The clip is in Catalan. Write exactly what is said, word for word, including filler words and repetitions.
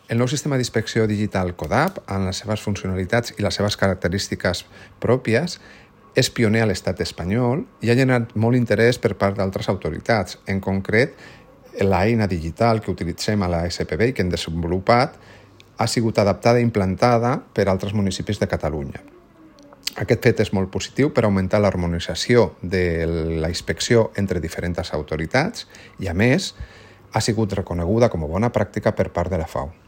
El nou sistema d'inspecció digital CODAP, amb les seves funcionalitats i les seves característiques pròpies, és pioner a l'estat espanyol i ha generat molt interès per part d'altres autoritats. En concret, l'eina digital que utilitzem a la S P B i que hem desenvolupat ha sigut adaptada i implantada per altres municipis de Catalunya. Aquest fet és molt positiu per augmentar l'harmonització de la inspecció entre diferents autoritats i, a més, ha sigut reconeguda com a bona pràctica per part de la F A O.